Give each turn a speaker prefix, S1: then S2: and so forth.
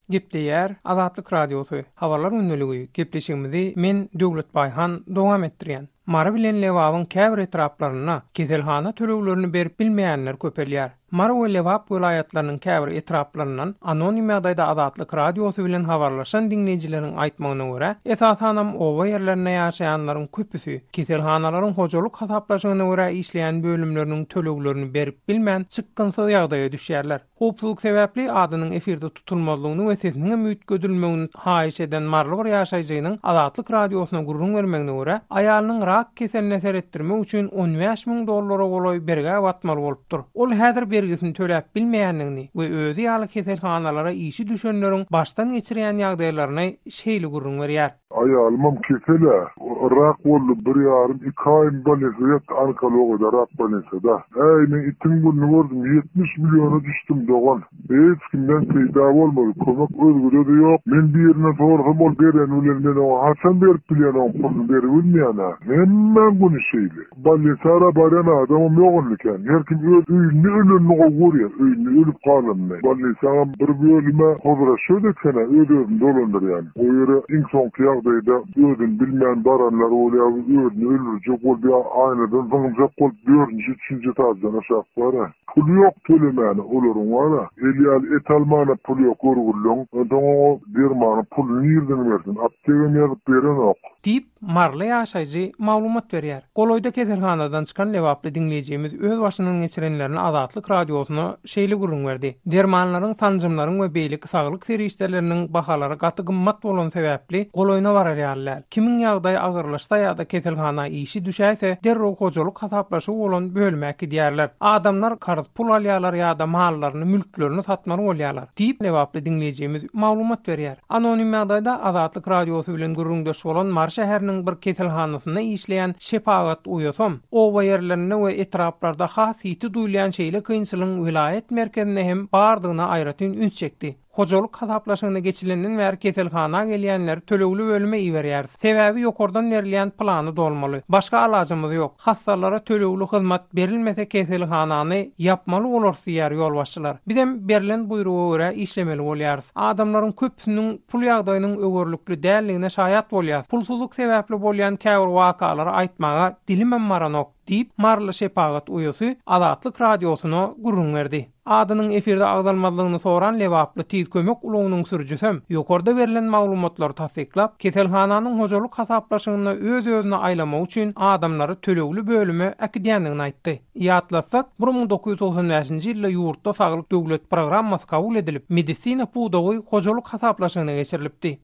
S1: Gepleýär Azatlyk Radiosy, Habarlar gündeligi gepleşigimizi men Döwlet Baýhan dowam etdirýän. Mary bilen Lebabyň käbir etraplarynda keselhana töleglerini berip bilmeýänler köpelýär. Mary we Lebap welaýatlarynyň käbir etraplaryndan anonim ýagdaýda Azatlyk Radiosy bilen habarlaşan diňleýjileriň aýtmagyna görä, esasanam oba ýerlerinde ýaşaýanlaryň köpüsi keselhanalaryň hojalyk hasaplaşygyna görä işleýän bölümleriniň töleglerini berip bilmän çykgynsyz ýagdaýa düşýärler. Howpsuzlyk sebäpli adynyň efirde tutulmazlygyny we sesiniňem üýtgedilmegini haýyş eden maryly bir ýaşaýjynyň Azatlyk Radiosyna gürrüň bermegine görä, aýalynyň rak keseline seretdirmek üçin 15 müň dollara golaý bergä batmaly bolupdyr. Ol häzir bergisini töläp bilmeýändigini we özi ýaly keselhanalara işi düşenleriň başdan geçirýän ýagdaýlaryny şeýle gürrüň berýär.
S2: Aýalymam kesel-ä. Rak boldy, bir ýarym, iki aýym bolnisada ýatdy, onkologiýada, rak bolnisada. Äý, men itiň gününi gördüm, 70 milliona düşdüm, dogan. Hiç kimden peýda bolmady, kömek özgede-de ýok. Men birinden sorasam, ol bereni bilen men oňa haçan berip bilýän oň puluny beribilmeýän-ä. Hemmäň güni şeýle. Bolnisara barýan adamam ýok indi kän. Her kim öz öýünde ölenini gowy görýär, öýünde ölüp galanyny. Bolnisaňam bir bölümi hozraşýot eken-ä, öz-özüni dolandyrýan. O ýere iň soňky ýagdaýda özüni bilmän baranlar bolýar, özüni öldürjek bolup ýa aýnadan zyňyljak bolup dördünji, üçünji etaždan aşak bar-a. Puly ýok tölemäne olaryň bar-a. El ýaly et almana puly ýok görgüliň. Onsoň oňa dermanyň puluny nirden bersin? Aptegam ýazyp berenok.
S1: Diýip, maryly ýaşaýjy maglumat berýär. Golaýda keselhanadan çykan lebaply diňleýjimiz öz başyndan geçirenlerini Azatlyk Radiosyna şeýle gürrüň berdi, Dermanlaryň, sanjymlaryň we beýleki saglyk serişdeleriniň bahalary gaty gymmat bolany sebäpli, golaýyna barar ýaly däl. Kimiň ýagdaýy agyrlaşsa ýa-da keselhana işi düşäýse, derrew hojalyk hasaplaşygy bolan bölüme äkidýärler. Adamlar karz pul alýarlar ýa-da mallaryny, mülklerini satmaly bolýarlar. Diýip, lebaply diňleýjimiz maglumat berýär. Anonim ýagdaýda Azatlyk Radiosy bilen gürrüňdeş bolan Mary şäheriniň bir keselhanasynda işleýän şepagat uýasam, oba ýerlerinde we etraplarda has ýiti duýulýan şeýle kynçylygyň welaýat merkezinde hem bardygyna aýratyn üns çekdi. Hojalyk hasaplaşygyna geçilenden bäri keselhana gelýänleri tölegli bölüme iberýäris. Sebäbi ýokardan berilýän plany dolmaly. Başga alajymyz ýok. Hassalara tölegli hyzmat berilmese keselhanany ýapmaly bolarys diýýär ýolbaşçylar. Bizem berlen buýruga görä işlemeli bolýarys. Adamlaryň köpüsiniň pul ýagdaýynyň öwerlikli däldigine şaýat bolýas. Pulsuzlyk sebäpli bolýan käbir wakalary aýtmaga dilimem baranok, diýip, maryly şepagat uýasy Azatlyk Radiosyna gürrüň berdi. Adynyň efirde agzalmazlygyny soran lebaply Tiz kömek ulagynyň sürüjisem ýokarda berlen maglumatlary tassyklap, keselhananyň hojalyk hasaplaşygynda öz-özüni aýlamak üçin adamlary tölegli bölüme äkidýändigini aýtdy. Ýatlatsak, 1995-nji ýylda ýurtda Saglyk döwlet programmasy kabul edilip, medisina pudagy hojalyk hasaplaşygyna geçirilipdi.